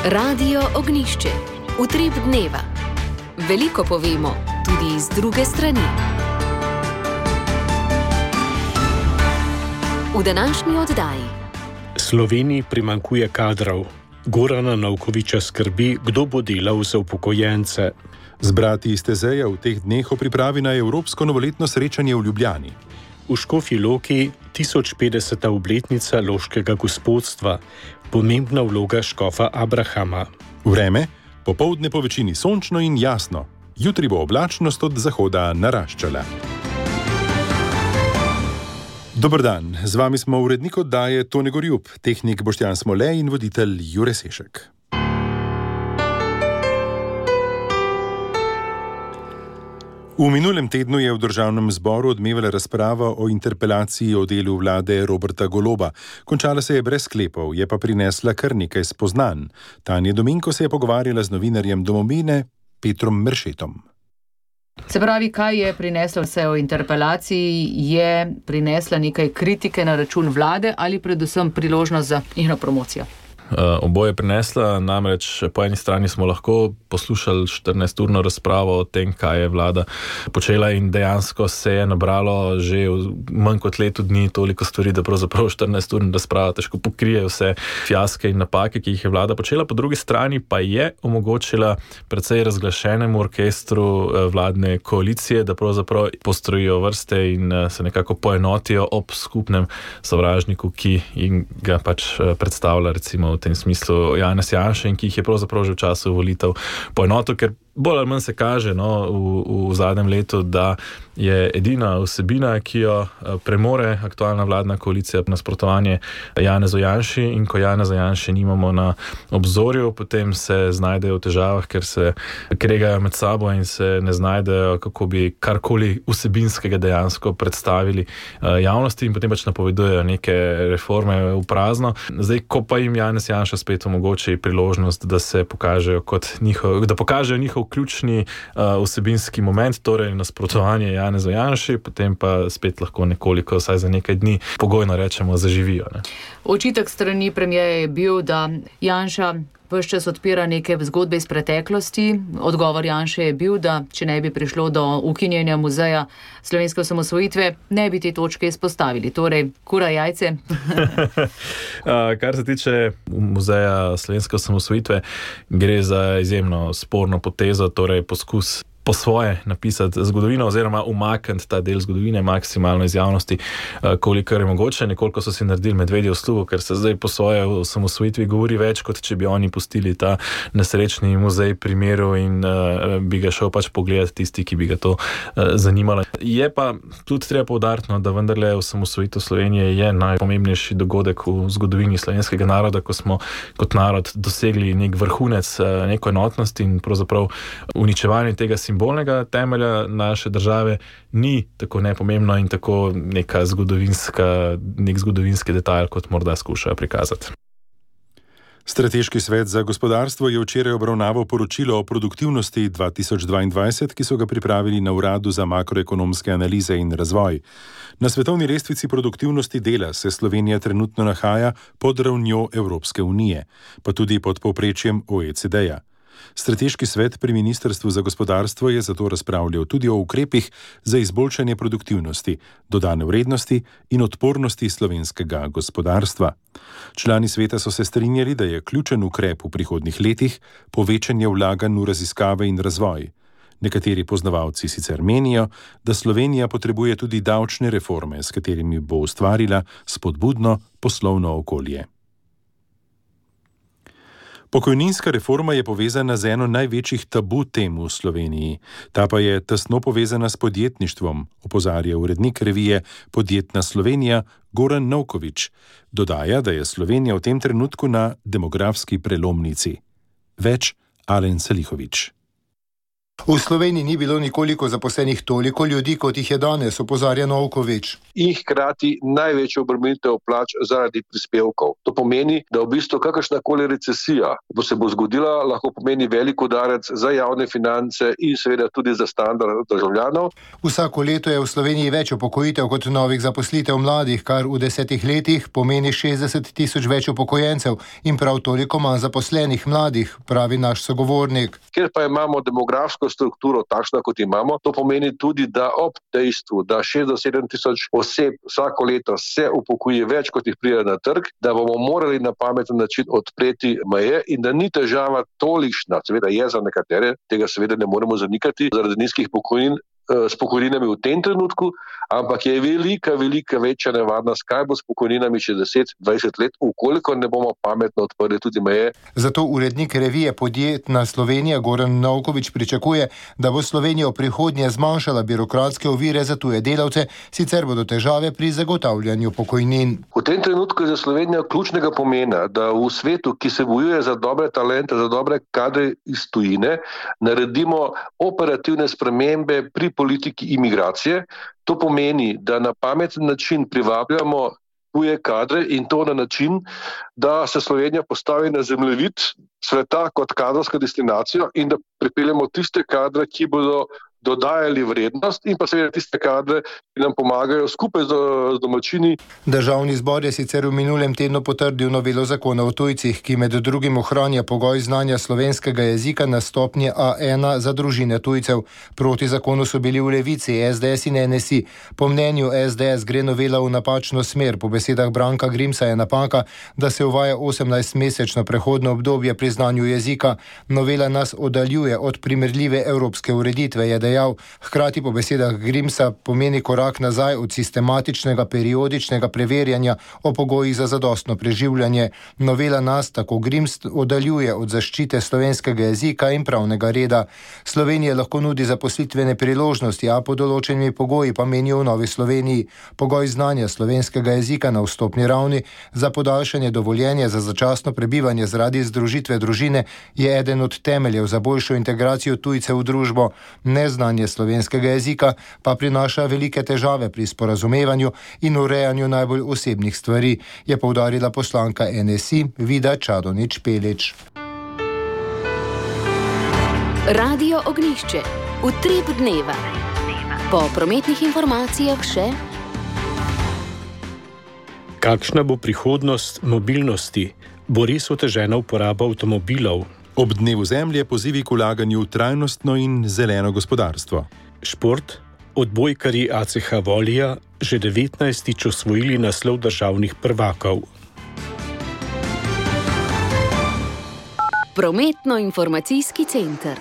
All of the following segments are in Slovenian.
Radio Ognjišče. Utrip dneva. Veliko povemo, tudi iz druge strani. V današnji oddaji. Sloveniji primanjkuje kadrov. Gorana Novkoviča skrbi, kdo bo delal za upokojence. Zbrati iz Tezeja v teh dneh o pripravi na evropsko novoletno srečanje v Ljubljani. V Škofji Loki 1050. obletnica loškega gospodstva. Pomembna vloga škofa Abrahama. Vreme, popoldne po večini sončno in jasno. Jutri bo oblačnost od zahoda naraščala. Dober dan, z vami smo urednik oddaje Tone Gorjup, tehnik Boštjan Smole in voditelj Jure Sešek. V minulem tednu je v državnem zboru odmevala razprava o interpelaciji o delu vlade Roberta Goloba. Končala se je brez sklepov, je pa prinesla kar nekaj spoznanj. Tanja Dominko se je pogovarjala z novinarjem Domovine Petrom Meršetom. Se pravi, kaj je prineslo vse o interpelaciji? Je prinesla nekaj kritike na račun vlade ali predvsem priložnost za njeno promocijo? Oboje prinesla, namreč po eni strani smo lahko poslušali 14-urno razpravo o tem, kaj je vlada počela in dejansko se je nabralo že v manj kot letu dni toliko stvari, da pravzaprav 14-urna razprava težko pokrije vse fiaske in napake, ki jih je vlada počela. Po drugi strani pa je omogočila precej razglašenemu orkestru vladne koalicije, da pravzaprav postrojijo vrste in se nekako poenotijo ob skupnem sovražniku, ki ga pač predstavlja recimo v tem smislu Janez Janša in ki jih je pravzaprav že v času volitev poenotil, ker bolj ali manj se kaže v zadnjem letu, da je edina vsebina, ki jo premore aktualna vladna koalicija, nasprotovanje Janezu Janši, in ko Janeza Janše nimamo na obzorju, potem se znajdejo v težavah, ker se kregajo med sabo in se ne znajdejo, kako bi karkoli vsebinskega dejansko predstavili javnosti in potem pač napovedujejo neke reforme v prazno. Zdaj, ko pa jim Janez Janša spet omogoči priložnost, da se pokažejo kot njihov ključni vsebinski moment, torej nasprotovanje Janezu Janši, potem pa spet lahko nekoliko, vsaj za nekaj dni, pogojno rečemo, zaživijo. Ne? Očitek strani premierja je bil, da Janša ves čas odpira neke zgodbe iz preteklosti. Odgovor Janše je bil, da če ne bi prišlo do ukinjanja muzeja slovenske osamosvojitve, ne bi te točke izpostavili. Torej, kura jajce. Kar se tiče muzeja slovenske osamosvojitve, gre za izjemno sporno potezo, torej poskus po svoje napisati zgodovino oziroma umakniti ta del zgodovine maksimalno iz javnosti, kolikor je mogoče. Nekoliko so si naredili medvedje uslugo, ker se zdaj po svoje o osamosvojitvi govori več, kot če bi oni pustili ta nesrečni muzej pri miru in bi ga šel pač pogledati tisti, ki bi ga to zanimalo. Je pa tudi treba poudariti, da vendarle osamosvojitev Slovenije je najpomembnejši dogodek v zgodovini slovenskega naroda, ko smo kot narod dosegli nek vrhunec, neko enotnost in pravzaprav uničevanje tega simbolnega temelja naše države ni tako nepomembno in tako nek zgodovinski detajl, kot morda skušajo prikazati. Strateški svet za gospodarstvo je včeraj obravnaval poročilo o produktivnosti 2022, ki so ga pripravili na Uradu za makroekonomske analize in razvoj. Na svetovni lestvici produktivnosti dela se Slovenija trenutno nahaja pod ravnjo Evropske unije, pa tudi pod povprečjem OECD-ja. Strateški svet pri Ministrstvu za gospodarstvo je zato razpravljal tudi o ukrepih za izboljšanje produktivnosti, dodane vrednosti in odpornosti slovenskega gospodarstva. Člani sveta so se strinjali, da je ključen ukrep v prihodnjih letih povečanje vlaganj v raziskave in razvoj. Nekateri poznavalci sicer menijo, da Slovenija potrebuje tudi davčne reforme, s katerimi bo ustvarila spodbudno poslovno okolje. Pokojninska reforma je povezana z eno največjih tabu tem v Sloveniji. Ta pa je tesno povezana s podjetništvom, opozarja urednik revije Podjetna Slovenija Goran Novkovič. Dodaja, da je Slovenija v tem trenutku na demografski prelomnici. Več Alen Salihovič. V Sloveniji ni bilo nikoliko zaposlenih toliko ljudi, kot jih je danes, opozarja Novković. In hkrati največjo obremenitev plač zaradi prispevkov. To pomeni, da v bistvu kakršnakoli recesija se bo zgodila, lahko pomeni velik udarec za javne finance in seveda tudi za standard državljanov. Vsako leto je v Sloveniji več upokojitev kot novih zaposlitev mladih, kar v 10 letih pomeni 60 000 več upokojencev in prav toliko manj zaposlenih mladih, pravi naš sogovornik. Ker pa imamo demografsko strukturo takšna, kot imamo, to pomeni tudi, da ob dejstvu, da 6 do 7 tisoč oseb vsako leto se upokoji več, kot jih pride na trg, da bomo morali na pameten način odpreti meje in da ni težava tolikšna, seveda je za nekatere, tega seveda ne moremo zanikati, zaradi nizkih pokojnin, s pokojninami v tem trenutku, ampak je velika večja nevarnost, kaj bo s pokojninami še 10-20 let, ukoliko ne bomo pametno odprli tudi meje. Zato urednik revije Podjetna Slovenija Goran Novković pričakuje, da bo Slovenija v prihodnje zmanjšala birokratske ovire za tuje delavce, sicer bodo težave pri zagotavljanju pokojnin. V tem trenutku je za Slovenijo ključnega pomena, da v svetu, ki se bojuje za dobre talente, za dobre kadre iz tujine, naredimo operativne spremembe pri politiki imigracije. To pomeni, da na pameten način privabljamo tuje kadre in to na način, da se Slovenija postavi na zemljevid sveta kot kadrovska destinacija in da pripeljemo tiste kadre, ki bodo dodajali vrednost in pa seveda tiste kadre, ki nam pomagajo skupaj z domačini. Državni zbor je sicer v minulem tednu potrdil novelo zakona o tujcih, ki med drugim ohranja pogoj znanja slovenskega jezika na stopnji A1 za družine tujcev. Proti zakonu so bili v Levici, SDS in NSI. Po mnenju SDS gre novela v napačno smer. Po besedah Branka Grimsa je napaka, da se uvaja 18-mesečno prehodno obdobje pri znanju jezika. Novela nas oddaljuje od primerljive evropske ureditve, je dejal. Hkrati po besedah Grimsa pomeni korak nazaj od sistematičnega periodičnega preverjanja o pogojih za zadostno preživljanje. Novela nas, tako Grims, oddaljuje od zaščite slovenskega jezika in pravnega reda. Slovenija lahko nudi zaposlitvene priložnosti, a pod določenimi pogoji, pa menijo v Novi Sloveniji. Pogoj znanja slovenskega jezika na vstopni ravni za podaljšanje dovoljenja za začasno prebivanje zaradi združitve družine je eden od temeljev za boljšo integracijo tujcev v družbo. Neznanje slovenskega jezika pa prinaša velike težave pri sporazumevanju in urejanju najbolj osebnih stvari, je poudarila poslanka NSI Vida Čadonič Pelič. Radio Ognjišče. Utrip dneva. Po prometnih informacijah še. Kakšna bo prihodnost mobilnosti? Bo res otežena uporaba avtomobilov? Ob dnevu Zemlje pozivi k vlaganju v trajnostno in zeleno gospodarstvo. Šport. Odbojkarji ACH Volija že 19. osvojili naslov državnih prvakov. Prometno-informacijski center.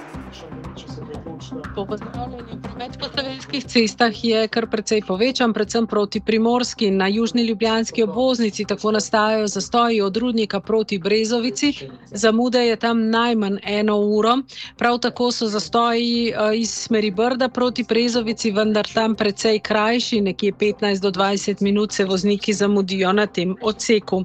Po pozdravljanju, promet po slovenskih cestah je kar precej povečan, predvsem proti Primorski in na južni ljubljanski obvoznici, tako nastajajo zastoji od Rudnika proti Brezovici. Zamude je tam najmanj 1 uro. Prav tako so zastoji iz smeri Brda proti Brezovici, vendar tam precej krajši, nekje 15 do 20 minut se vozniki zamudijo na tem odseku.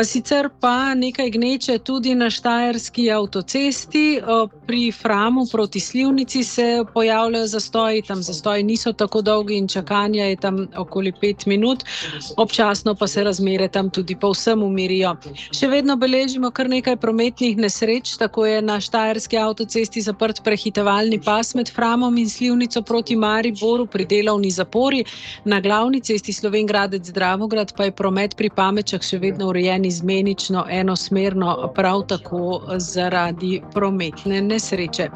Sicer pa nekaj gneče tudi na štajerski avtocesti, pri Framu proti Slivnici se pojavljajo zastoji, tam zastoji niso tako dolgi in čakanja je tam okoli 5 minut, občasno pa se razmere tam tudi povsem umirijo. Še vedno beležimo kar nekaj prometnih nesreč, tako je na štajerski avtocesti zaprt prehitevalni pas med Framom in Slivnico proti Mariboru pri delovni zapori, na glavni cesti Slovenj Gradec-Dravograd pa je promet pri Pamečah še vedno urejen izmenično, enosmerno, prav tako zaradi prometne nesreče.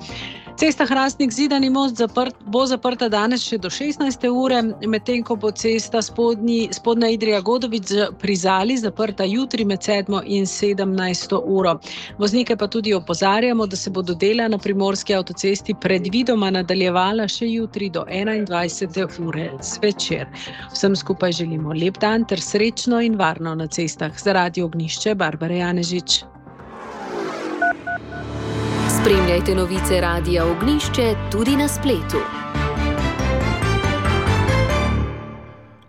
Cesta Hrastnik-Zidani most bo zaprta danes še do 16. ure, medtem ko bo cesta Spodnja Idrija-Godovič pri Zali zaprta jutri med 7. in 17. uro. Voznike pa tudi opozarjamo, da se bodo dela na primorski avtocesti predvidoma nadaljevala še jutri do 21. ure zvečer. Vsem skupaj želimo lep dan ter srečno in varno na cestah. Za Radio Ognjišče, Barbara Janežič. Spremljajte novice Radia Ognjišče tudi na spletu.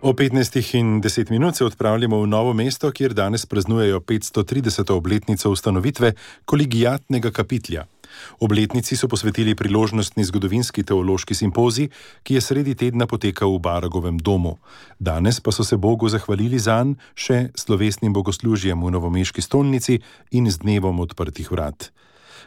O 15:10 se odpravljamo v Novo mesto, kjer danes praznujejo 530. obletnico ustanovitve kolegiatnega kapitlja. Obletnici so posvetili priložnostni zgodovinski teološki simpozij, ki je sredi tedna potekal v Baragovem domu. Danes pa so se Bogu zahvalili zanj še slovesnim bogoslužjem v novomeški stolnici in z dnevom odprtih vrat.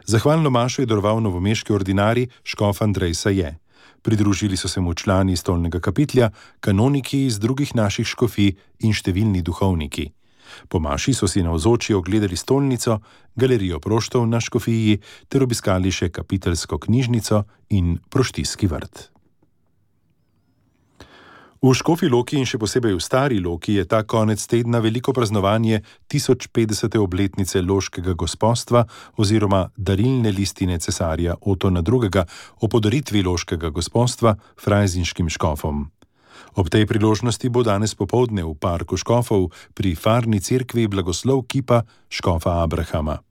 Zahvalno mašo je daroval novomeški ordinarij škof Andrej Saje. Pridružili so se mu člani stolnega kapitlja, kanoniki iz drugih naših škofij in številni duhovniki. Po maši so si navzoči ogledali stolnico, galerijo proštov na škofiji ter obiskali še kapiteljsko knjižnico in proštijski vrt. V Škofji Loki in še posebej v Stari Loki je ta konec tedna veliko praznovanje 1050. obletnice loškega gospostva oziroma darilne listine cesarja Otona II. O podaritvi loškega gospostva frajzinškim škofom. Ob tej priložnosti bo danes popoldne v parku škofov pri farni cerkvi blagoslov kipa škofa Abrahama.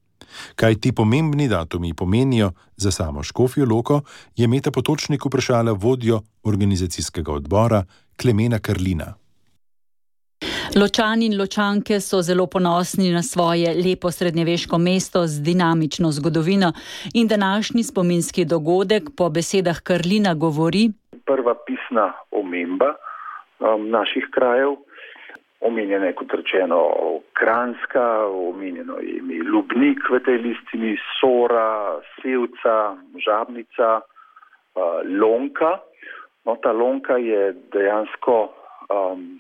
Kaj ti pomembni datumi pomenijo za samo Škofjo Loko, je Meta Potočnik vprašala vodjo organizacijskega odbora Klemena Karlina. Ločani in Ločanke so zelo ponosni na svoje lepo srednjeveško mesto z dinamično zgodovino in današnji spominski dogodek po besedah Karlina govori: prva pisna omemba naših krajev. Omenjena je, kot rečeno, Kranjska, omenjeno je ime Lubnik v tej listini, Sora, Sevca, Žabnica, Lonka. No, ta Lonka je dejansko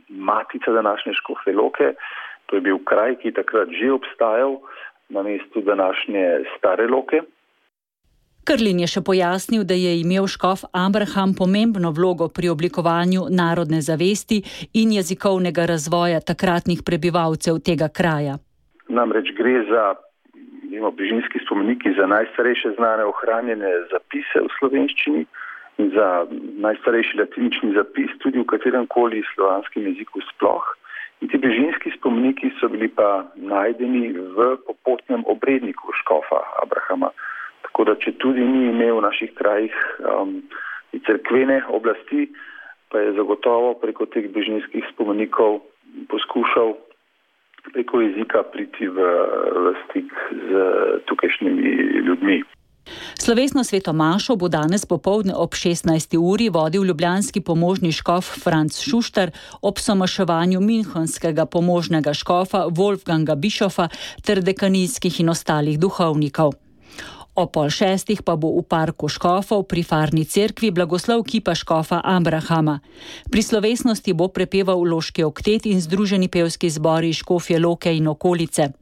matica današnje Škofje Loke. To je bil kraj, ki je takrat že obstajal na mestu današnje Stare Loke. Karlin je še pojasnil, da je imel škof Abraham pomembno vlogo pri oblikovanju narodne zavesti in jezikovnega razvoja takratnih prebivalcev tega kraja. Namreč gre za bližinski spomeniki za najstarejše znane ohranjene zapise v slovenščini in za najstarejši latinični zapis tudi v kateremkoli slovanskem jeziku sploh. In ti bližinski spomeniki so bili pa najdeni v popotnem obredniku škofa Abrahama. Tako da, če tudi ni imel v naših krajih cerkvene oblasti, pa je zagotovo preko teh bližinskih spomenikov poskušal preko jezika priti v stik z tukajšnjimi ljudmi. Slovesno sveto mašo bo danes popoldne ob 16. uri vodil ljubljanski pomožni škof Franc Šuštar ob somaševanju minhenskega pomožnega škofa Wolfganga Bischofa ter dekanijskih in ostalih duhovnikov. O 5:30 pa bo v parku škofov pri farni cerkvi blagoslov kipa škofa Abrahama. Pri slovesnosti bo prepeval loški oktet in združeni pevski zbori Škofje Loke in okolice.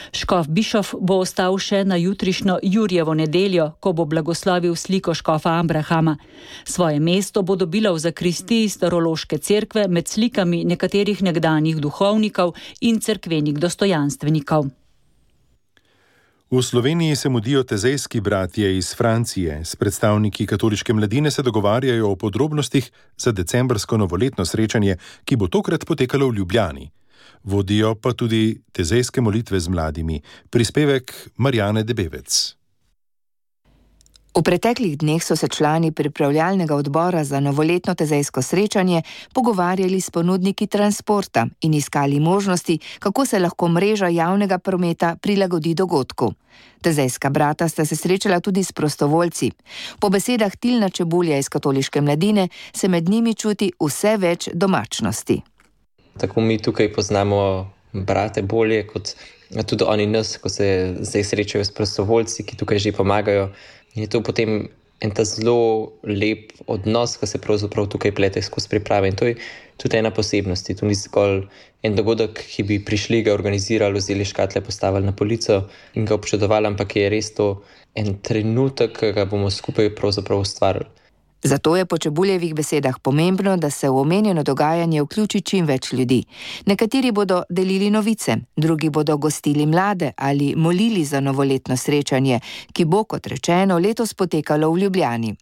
Škof Bischof bo ostal še na jutrišnjo Jurjevo nedeljo, ko bo blagoslovil sliko škofa Abrahama. Svoje mesto bo dobila v zakristiji starološke cerkve med slikami nekaterih nekdanjih duhovnikov in cerkvenih dostojanstvenikov. V Sloveniji se mudijo tezejski bratje iz Francije. S predstavniki katoliške mladine se dogovarjajo o podrobnostih za decembrsko novoletno srečanje, ki bo tokrat potekalo v Ljubljani. Vodijo pa tudi tezejske molitve z mladimi. Prispevek Marjane Debevec. V preteklih dneh so se člani pripravljalnega odbora za novoletno tezejsko srečanje pogovarjali s ponudniki transporta in iskali možnosti, kako se lahko mreža javnega prometa prilagodi dogodku. Tezejska brata sta se srečala tudi s prostovoljci. Po besedah Tilna Čebulja iz katoliške mladine se med njimi čuti vse več domačnosti. Tako mi tukaj poznamo brate bolje, kot tudi oni nas, ko se zdaj srečajo s prostovoljci, ki tukaj že pomagajo. In je to potem en ta zelo lep odnos, ki se pravzaprav tukaj plete skozi priprave. In to je tudi ena posebnost. To ni zgolj en dogodek, ki bi prišli, ga organizirali, vzeli škatle, postavili na polico in ga občudovali, ampak je res to en trenutek, ki ga bomo skupaj pravzaprav ustvarili. Zato je po Čebuljevih besedah pomembno, da se v omenjeno dogajanje vključi čim več ljudi. Nekateri bodo delili novice, drugi bodo gostili mlade ali molili za novoletno srečanje, ki bo, kot rečeno, letos potekalo v Ljubljani.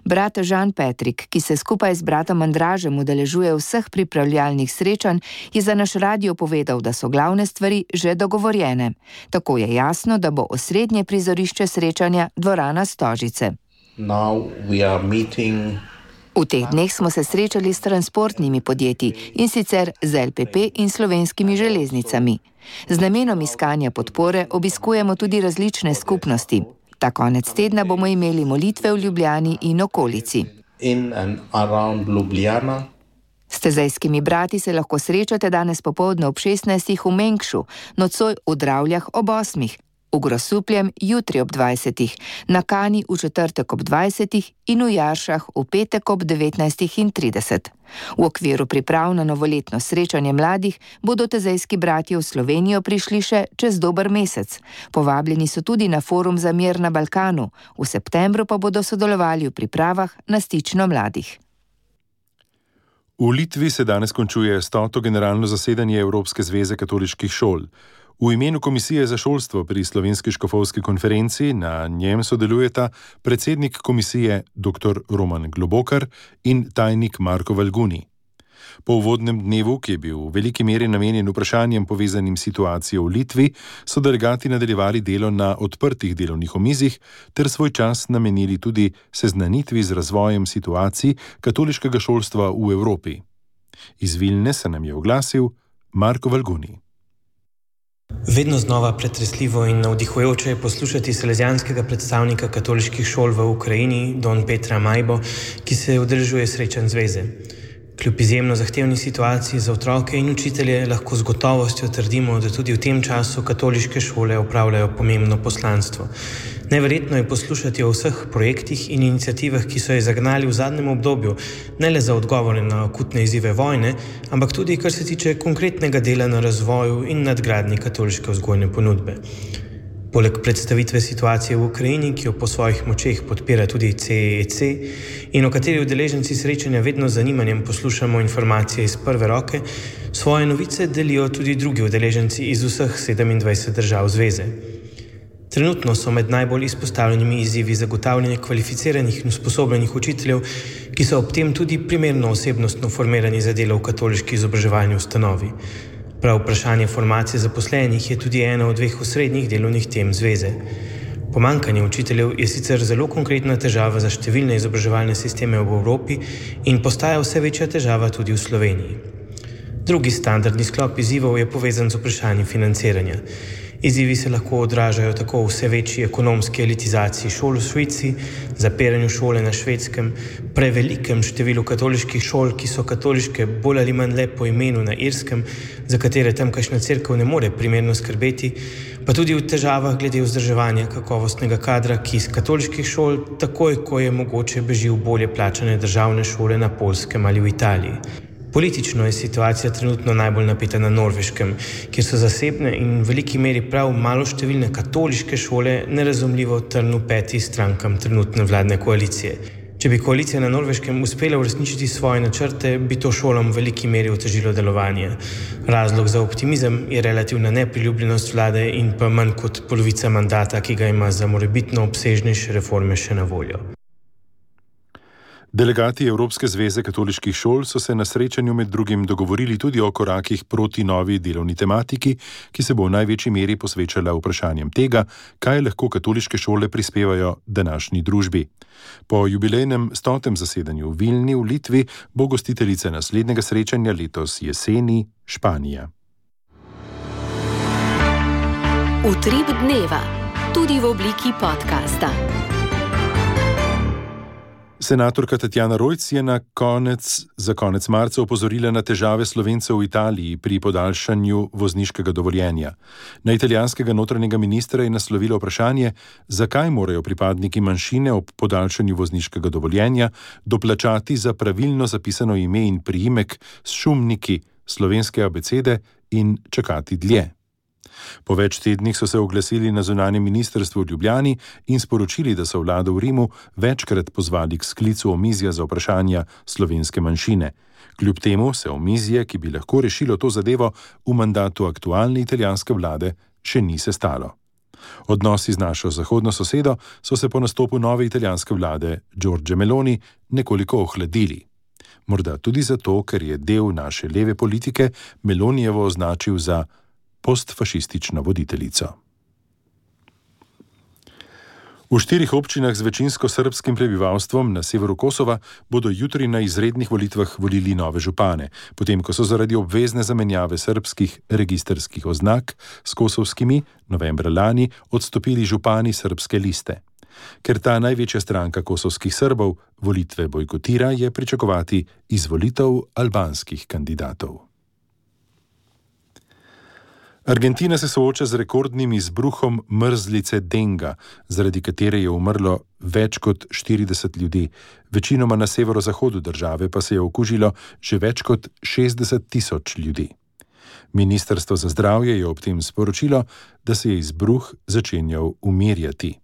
Brat Žan Petrik, ki se skupaj z bratom Andražem udeležuje vseh pripravljalnih srečanj, je za naš radio povedal, da so glavne stvari že dogovorjene. Tako je jasno, da bo osrednje prizorišče srečanja dvorana Stožice. V teh dneh smo se srečali s transportnimi podjetji, in sicer z LPP in Slovenskimi železnicami. Z namenom iskanja podpore obiskujemo tudi različne skupnosti. Ta konec tedna bomo imeli molitve v Ljubljani in okolici. S tezejskimi brati se lahko srečate danes popoldne ob 16. v Mengšu, nocoj v Dravljah ob 8. v Grosupljem jutri ob 20. na Kani v četrtek ob 20. in v Jaršah v petek ob 19:30. V okviru priprav na novoletno srečanje mladih bodo tezejski bratje v Slovenijo prišli še čez dober mesec. Povabljeni so tudi na forum za mir na Balkanu, v septembru pa bodo sodelovali v pripravah na stično mladih. V Litvi se danes končuje 100. generalno zasedanje Evropske zveze katoliških šol. V imenu Komisije za šolstvo pri Slovenski škofovski konferenci na njem sodelujeta predsednik komisije dr. Roman Globokar in tajnik Marko Valguni. Po uvodnem dnevu, ki je bil v veliki meri namenjen vprašanjem povezanim s situacijo v Litvi, so delegati nadaljevali delo na odprtih delovnih omizjih ter svoj čas namenili tudi seznanitvi z razvojem situacij katoliškega šolstva v Evropi. Iz Vilne se nam je oglasil Marko Valguni. Vedno znova pretresljivo in navdihujoče je poslušati salezijanskega predstavnika katoliških šol v Ukrajini, don Petra Majbo, ki se udeležuje srečanj zveze. Kljub izjemno zahtevni situaciji za otroke in učitelje lahko z gotovostjo trdimo, da tudi v tem času katoliške šole opravljajo pomembno poslanstvo. Neverjetno je poslušati o vseh projektih in iniciativah, ki so jo zagnali v zadnjem obdobju, ne le za odgovore na akutne izzive vojne, ampak tudi kar se tiče konkretnega dela na razvoju in nadgradnji katoliške vzgojne ponudbe. Poleg predstavitve situacije v Ukrajini, ki jo po svojih močeh podpira tudi CEC in o kateri udeleženci srečanja vedno z zanimanjem poslušamo informacije iz prve roke, svoje novice delijo tudi drugi udeleženci iz vseh 27 držav zveze. Trenutno so med najbolj izpostavljenimi izzivi zagotavljanje kvalificiranih in usposobljenih učiteljev, ki so ob tem tudi primerno osebnostno formirani za delo v katoliški izobraževalni ustanovi. Prav vprašanje formacije zaposlenih je tudi ena od dveh osrednjih delovnih tem zveze. Pomanjkanje učiteljev je sicer zelo konkretna težava za številne izobraževalne sisteme v Evropi in postaja vse večja težava tudi v Sloveniji. Drugi standardni sklop izzivov je povezan z vprašanjem financiranja. Izzivi se lahko odražajo tako v vse večji ekonomski elitizaciji šol v Švici, zapiranju šole na Švedskem, prevelikem številu katoliških šol, ki so katoliške bolj ali manj le po imenu na Irskem, za katere tamkajšnja cerkev ne more primerno skrbeti, pa tudi v težavah glede vzdrževanja kakovostnega kadra, ki iz katoliških šol takoj, ko je mogoče, beži v bolje plačane državne šole na Poljskem ali v Italiji. Politično je situacija trenutno najbolj napeta na Norveškem, kjer so zasebne in v veliki meri prav maloštevilne katoliške šole nerazumljivo trn v peti strankam trenutne vladne koalicije. Če bi koalicija na Norveškem uspela uresničiti svoje načrte, bi to šolam v veliki meri otežilo delovanje. Razlog za optimizem je relativna nepriljubljenost vlade in pa manj kot polovica mandata, ki ga ima za morebitno obsežnejše reforme še na voljo. Delegati Evropske zveze katoliških šol so se na srečanju med drugim dogovorili tudi o korakih proti novi delovni tematiki, ki se bo v največji meri posvečala vprašanjem tega, kaj lahko katoliške šole prispevajo današnji družbi. Po jubilejnem 100. zasedanju v Vilni v Litvi bo gostiteljica naslednjega srečanja letos jeseni Španija. Utrip dneva, tudi v obliki podcasta. Senatorka Tatjana Rojc je za konec marca opozorila na težave Slovencev v Italiji pri podaljšanju vozniškega dovoljenja. Na italijanskega notranjega ministra je naslovila vprašanje, zakaj morajo pripadniki manjšine ob podaljšanju vozniškega dovoljenja doplačati za pravilno zapisano ime in priimek s šumniki slovenske abecede in čakati dlje. Po več tednih so se oglasili na zunanjem ministrstvu v Ljubljani in sporočili, da so vlado v Rimu večkrat pozvali k sklicu omizja za vprašanja slovenske manjšine. Kljub temu se omizje, ki bi lahko rešilo to zadevo v mandatu aktualne italijanske vlade, še ni sestalo. Odnosi z našo zahodno sosedo so se po nastopu nove italijanske vlade Giorgia Meloni nekoliko ohladili. Morda tudi zato, ker je del naše leve politike Melonijevo označil za postfašistično voditeljico. V 4 občinah z večinsko srbskim prebivalstvom na severu Kosova bodo jutri na izrednih volitvah volili nove župane, potem ko so zaradi obvezne zamenjave srbskih registrskih oznak s kosovskimi novembra lani odstopili župani srbske liste. Ker ta največja stranka kosovskih Srbov volitve bojkotira, je pričakovati izvolitev albanskih kandidatov. Argentina se sooča z rekordnim izbruhom mrzlice denga, zaradi katere je umrlo več kot 40 ljudi. Večinoma na severozahodu države pa se je okužilo že več kot 60 000 ljudi. Ministrstvo za zdravje je ob tem sporočilo, da se je izbruh začenjal umirjati.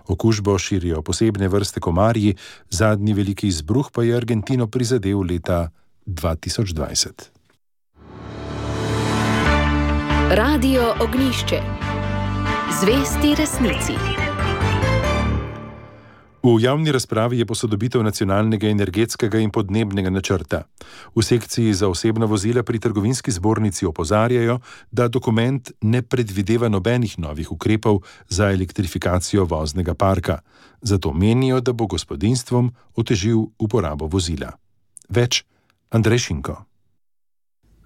Okužbo širijo posebne vrste komarji, zadnji veliki izbruh pa je Argentino prizadel leta 2020. Radio Ognjišče. Zvesti resnici. V javni razpravi je posodobitev nacionalnega energetskega in podnebnega načrta. V sekciji za osebna vozila pri trgovinski zbornici opozarjajo, da dokument ne predvideva nobenih novih ukrepov za elektrifikacijo voznega parka. Zato menijo, da bo gospodinjstvom otežil uporabo vozila. Več Andrej Šinko.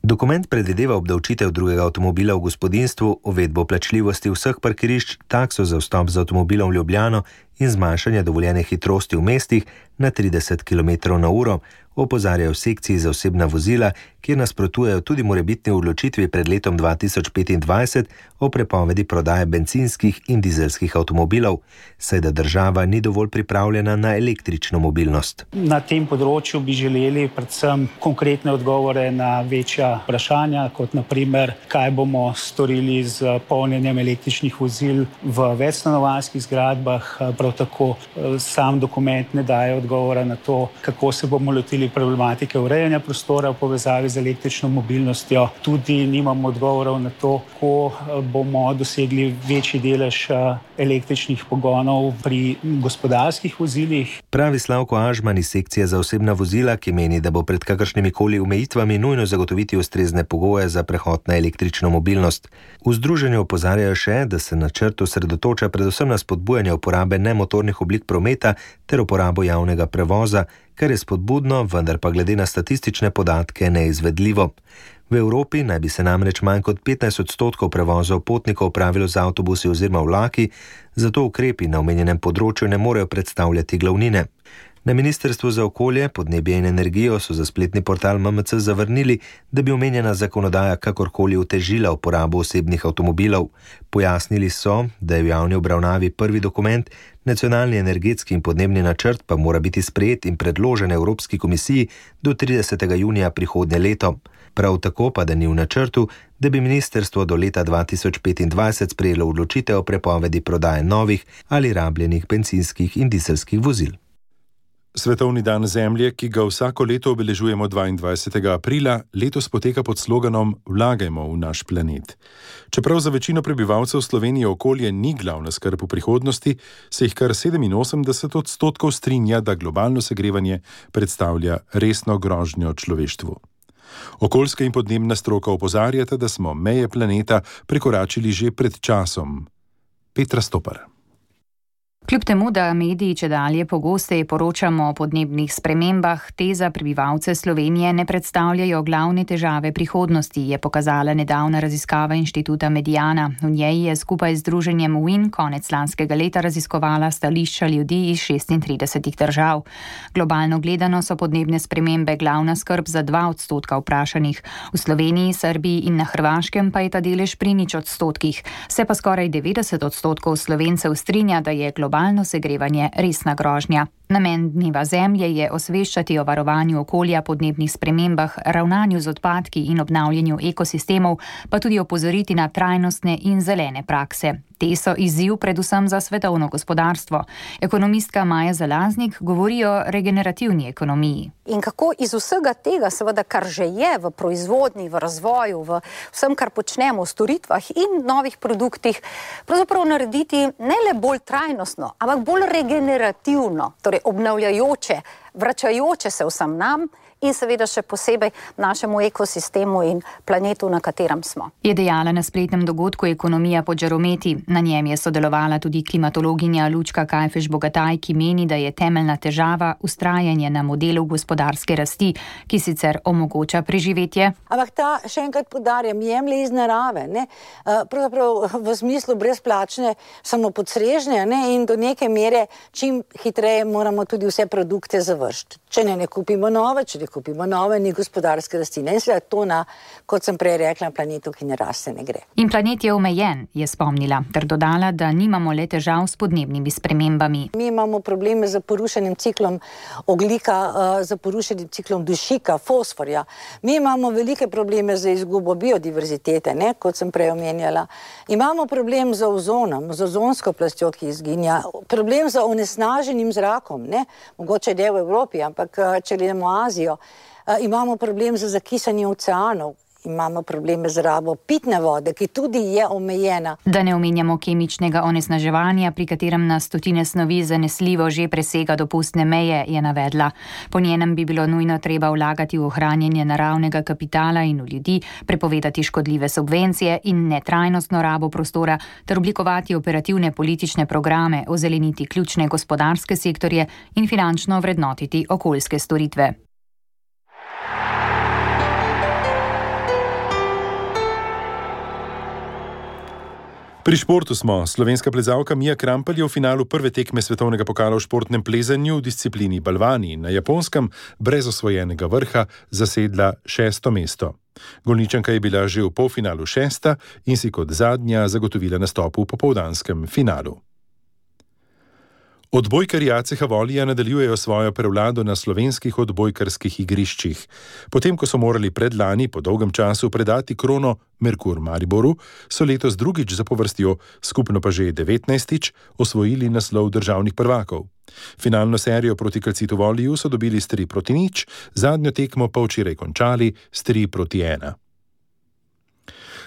Dokument predvideva obdavčitev drugega avtomobila v gospodinjstvu, uvedbo plačljivosti vseh parkirišč, takso za vstop z avtomobilom v Ljubljano in zmanjšanje dovoljene hitrosti v mestih na 30 km/h, opozarjajo v sekciji za osebna vozila, kjer nasprotujejo tudi morebitni odločitvi pred letom 2025 o prepovedi prodaje bencinskih in dizelskih avtomobilov, saj da država ni dovolj pripravljena na električno mobilnost. Na tem področju bi želeli predvsem konkretne odgovore na večja vprašanja, kot naprimer, kaj bomo storili z polnjenjem električnih vozil v večstanovanjskih zgradbah. Prav tako sam dokument ne daje odgovora na to, kako se bomo lotili problematike urejanja prostora v povezavi z električno mobilnostjo. Tudi nimamo odgovorov na to, kako bomo dosegli večji delež električnih pogonov pri gospodarskih vozilih. Pravi Slavko Ažman iz sekcije za osebna vozila, ki meni, da bo pred kakršnimikoli omejitvami nujno zagotoviti ustrezne pogoje za prehod na električno mobilnost. V združenju opozarjajo še, da se načrt osredotoča predvsem na spodbujanje uporabe nemotornih oblik prometa ter uporabo javnega prevoza, kar je spodbudno, vendar pa glede na statistične podatke neizvedljivo. V Evropi naj bi se namreč manj kot 15% prevozov potnikov opravilo z avtobusi oziroma vlaki, zato ukrepi na omenjenem področju ne morejo predstavljati glavnine. Na Ministrstvu za okolje, podnebje in energijo so za spletni portal MMC zavrnili, da bi omenjena zakonodaja kakorkoli otežila uporabo osebnih avtomobilov. Pojasnili so, da je v javni obravnavi prvi dokument, nacionalni energetski in podnebni načrt pa mora biti sprejet in predložen Evropski komisiji do 30. junija prihodnje leto. Prav tako pa, da ni v načrtu, da bi ministrstvo do leta 2025 sprejelo odločitev o prepovedi prodaje novih ali rabljenih bencinskih in dizelskih vozil. Svetovni dan Zemlje, ki ga vsako leto obeležujemo 22. aprila, letos poteka pod sloganom Vlagajmo v naš planet. Čeprav za večino prebivalcev Slovenije okolje ni glavna skrb v prihodnosti, se jih kar 87% strinja, da globalno segrevanje predstavlja resno grožnjo človeštvu. Okoljska in podnebna stroka opozarjata, da smo meje planeta prekoračili že pred časom. Petra Stopar. Kljub temu, da mediji čedalje pogosteje poročamo o podnebnih spremembah, te za prebivalce Slovenije ne predstavljajo glavne težave prihodnosti, je pokazala nedavna raziskava inštituta Mediana. V njej je skupaj z združenjem WIN konec lanskega leta raziskovala stališča ljudi iz 36 držav. Globalno gledano so podnebne spremembe glavna skrb za 2% vprašanih. V Sloveniji, Srbiji in na Hrvaškem pa je ta delež pri 0%. Se pa skoraj 90% Slovencev strinja, da je globalno segrevanje resna grožnja. Namen Dneva Zemlje je osveščati o varovanju okolja, podnebnih spremembah, ravnanju z odpadki in obnavljanju ekosistemov, pa tudi opozoriti na trajnostne in zelene prakse. Te so izziv predvsem za svetovno gospodarstvo. Ekonomistka Maja Zalaznik govori o regenerativni ekonomiji. In kako iz vsega tega, seveda, kar že je v proizvodnji, v razvoju, v vsem, kar počnemo, v storitvah in novih produktih, pravzaprav narediti ne le bolj trajnostno, ampak bolj regenerativno, torej obnavljajoče vračajoče se vsem nam in seveda še posebej našemu ekosistemu in planetu, na katerem smo. Je dejala na spletnem dogodku Ekonomija pod žarometi. Na njem je sodelovala tudi klimatologinja Lučka Kajfež-Bogataj, ki meni, da je temeljna težava vztrajanje na modelu gospodarske rasti, ki sicer omogoča preživetje. Ampak ta, še enkrat poudarjam, jemlje iz narave, ne? Pravzaprav v smislu brezplačne samopodstrežnje, ne? In do neke mere čim hitreje moramo tudi vse produkte završiti. Če ne kupimo nove, ni gospodarske rasti. In seveda to na, kot sem prej rekla, planetu, ki ne raste, ne gre. In planet je omejen, je spomnila, ter dodala, da nimamo le težav s podnebnimi spremembami. Mi imamo probleme z porušenim ciklom ogljika, z porušenim ciklom dušika, fosforja. Mi imamo velike probleme z izgubo biodiverzitete, ne, kot sem prej omenjala. Imamo problem z ozonom, z ozonsko plastjo, ki izginja. Problem z onesnaženim zrakom, ne, mogoče ne v Evropi, ampak če gledamo Azijo. Imamo problem z zakisanjem oceanov, imamo probleme z rabo pitne vode, ki tudi je omejena. Da ne omenjamo kemičnega onesnaževanja, pri katerem na stotine snovi zanesljivo že presega dopustne meje, je navedla. Po njenem bi bilo nujno treba vlagati v ohranjanje naravnega kapitala in v ljudi, prepovedati škodljive subvencije in netrajnostno rabo prostora, ter oblikovati operativne politične programe, ozeleniti ključne gospodarske sektorje in finančno vrednotiti okoljske storitve. Pri športu smo. Slovenska plezalka Mija Krampelj je v finalu prve tekme svetovnega pokala v športnem plezanju v disciplini balvani na Japonskem brez osvojenega vrha zasedla 6. mesto. Golničanka je bila že v polfinalu 6. in si kot zadnja zagotovila nastop v popoldanskem finalu. Odbojkarji ACH Volija nadaljujejo svojo prevlado na slovenskih odbojkarskih igriščih. Potem, ko so morali predlani po dolgem času predati krono Merkur Mariboru, so letos drugič zapovrstjo, skupno pa že 19. osvojili naslov državnih prvakov. Finalno serijo proti Calcitu Voliju so dobili s 3-0, zadnjo tekmo pa včeraj končali s 3-1.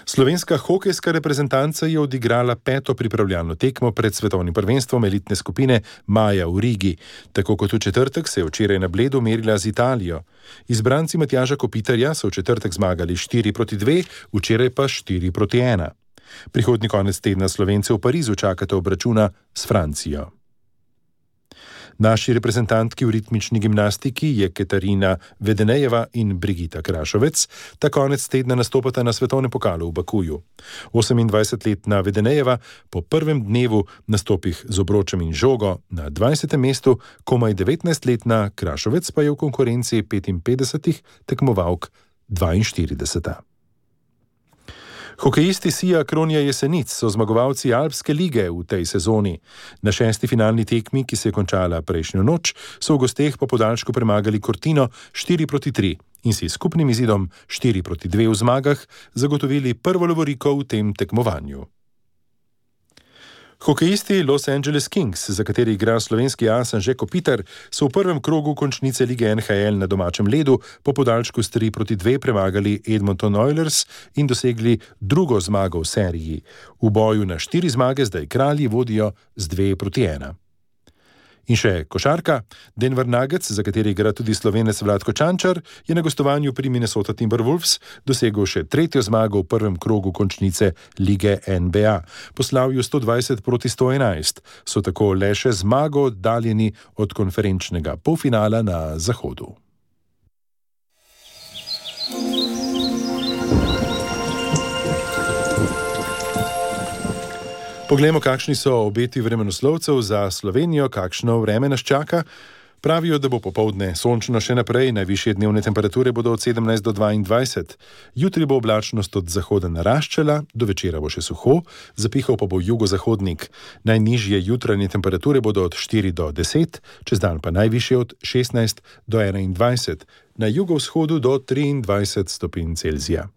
Slovenska hokejska reprezentanca je odigrala 5. pripravljalno tekmo pred svetovnim prvenstvom elitne skupine maja v Rigi. Tako kot v četrtek se je včeraj na Bledu merila z Italijo. Izbranci Matjaža Kopitarja so v četrtek zmagali 4-2, včeraj pa 4-1. Prihodnji konec tedna Slovence v Parizu čakata obračuna s Francijo. Naši reprezentantki v ritmični gimnastiki je Katarina Vedenejeva in Brigita Krašovec. Ta konec tedna nastopata na svetovnem pokalu v Bakuju. 28-letna Vedenejeva po prvem dnevu nastopih z obročem in žogo na 20. mestu, komaj 19-letna Krašovec pa je v konkurenci 55 tekmovalk 42. Hokejisti Sija Kronja Jesenic so zmagovalci Alpske lige v tej sezoni. Na 6. finalni tekmi, ki se je končala prejšnjo noč, so v gosteh po podaljšku premagali Cortino 4-3 in si skupnim izidom 4-2 v zmagah zagotovili prvo lovoriko v tem tekmovanju. Hokejisti Los Angeles Kings, za kateri igra slovenski as Anže Kopitar, so v prvem krogu končnice lige NHL na domačem ledu po podaljšku s 3-2 premagali Edmonton Oilers in dosegli drugo zmago v seriji. V boju na 4 zmage zdaj kralji vodijo z 2-1. In še košarka. Denver Nuggets, za kateri igra tudi Slovenec Vlatko Čančar, je na gostovanju pri Minnesota Timberwolves dosegel še 3. zmago v prvem krogu končnice lige NBA. Po slavju 120-111 so tako le še zmago oddaljeni od konferenčnega polfinala na Zahodu. Poglejmo, kakšni so obeti vremenoslovcev za Slovenijo, kakšno vreme nas čaka. Pravijo, da bo popoldne sončno še naprej, najvišje dnevne temperature bodo od 17 do 22. Jutri bo oblačnost od zahoda naraščala, do večera bo še suho, zapihal pa bo jugozahodnik. Najnižje jutranje temperature bodo od 4 do 10, čez dan pa najvišje od 16 do 21, na jugovzhodu do 23 stopinj Celzija.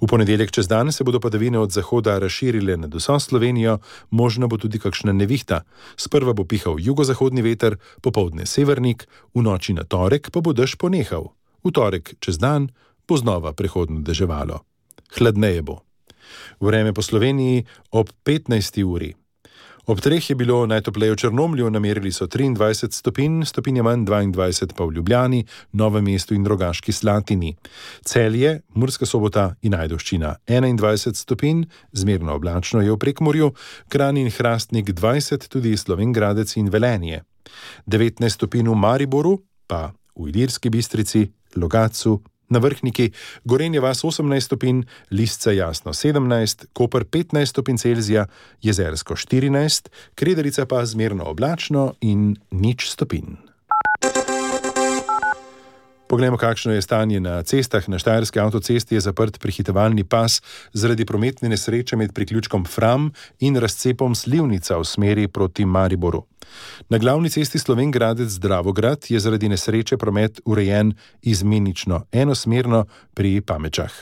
V ponedeljek čez dan se bodo padavine od zahoda razširile nad vso Slovenijo, možna bo tudi kakšna nevihta. Sprva bo pihal jugozahodni veter, popoldne severnik, v noči na torek pa bo dež ponehal. V torek čez dan bo znova prehodno deževalo. Hladneje bo. Vreme po Sloveniji ob 15. uri. Ob 3 je bilo najtopleje v Črnomlju, namerili so 23 stopinj, stopinja manj 22 pa v Ljubljani, Novem mestu in Rogaški Slatini. Celje, Murska Sobota in Ajdovščina 21 stopinj, zmerno oblačno je v Prekmurju, Kranj in Hrastnik 20, tudi Slovenj Gradec in Velenje. 19 stopinj v Mariboru, pa v Ilirski Bistrici, Logatcu, na Vrhniki, Gorenje vas 18 stopinj, Lisce Jasno 17, Koper 15 stopinj Celzija, Jezersko 14, Krederica pa zmerno oblačno in 0 stopinj. Poglejmo, kakšno je stanje na cestah. Na Štajerski avtocesti je zaprt prehitevalni pas zaradi prometne nesreče med priključkom Fram in razcepom Slivnica v smeri proti Mariboru. Na glavni cesti Slovenj Gradec-Dravograd je zaradi nesreče promet urejen izmenično, enosmerno pri Pamečah.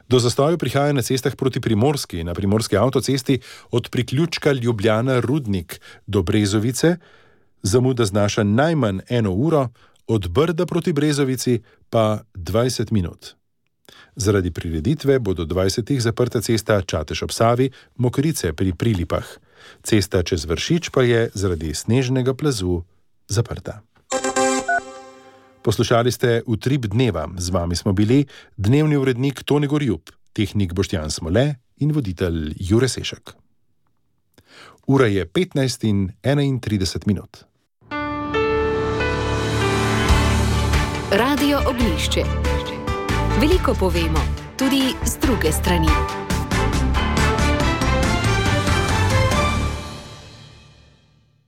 Do zastojev prihaja na cestah proti Primorski, na primorski avtocesti od priključka Ljubljana-Rudnik do Brezovice, zamuda znaša najmanj 1 uro, od Brda proti Brezovici pa 20 minut. Zaradi prireditve bo do 20. zaprta cesta Čatež ob Savi, Mokrice pri Prilipah. Cesta čez Vršič pa je zaradi snežnega plazu zaprta. Poslušali ste Utrip dneva. Z vami smo bili dnevni urednik Tone Gorjup, tehnik Boštjan Smole in voditelj Jure Sešek. Ura je 15:31 minut. Radio Oglišče. Veliko povemo, tudi z druge strani.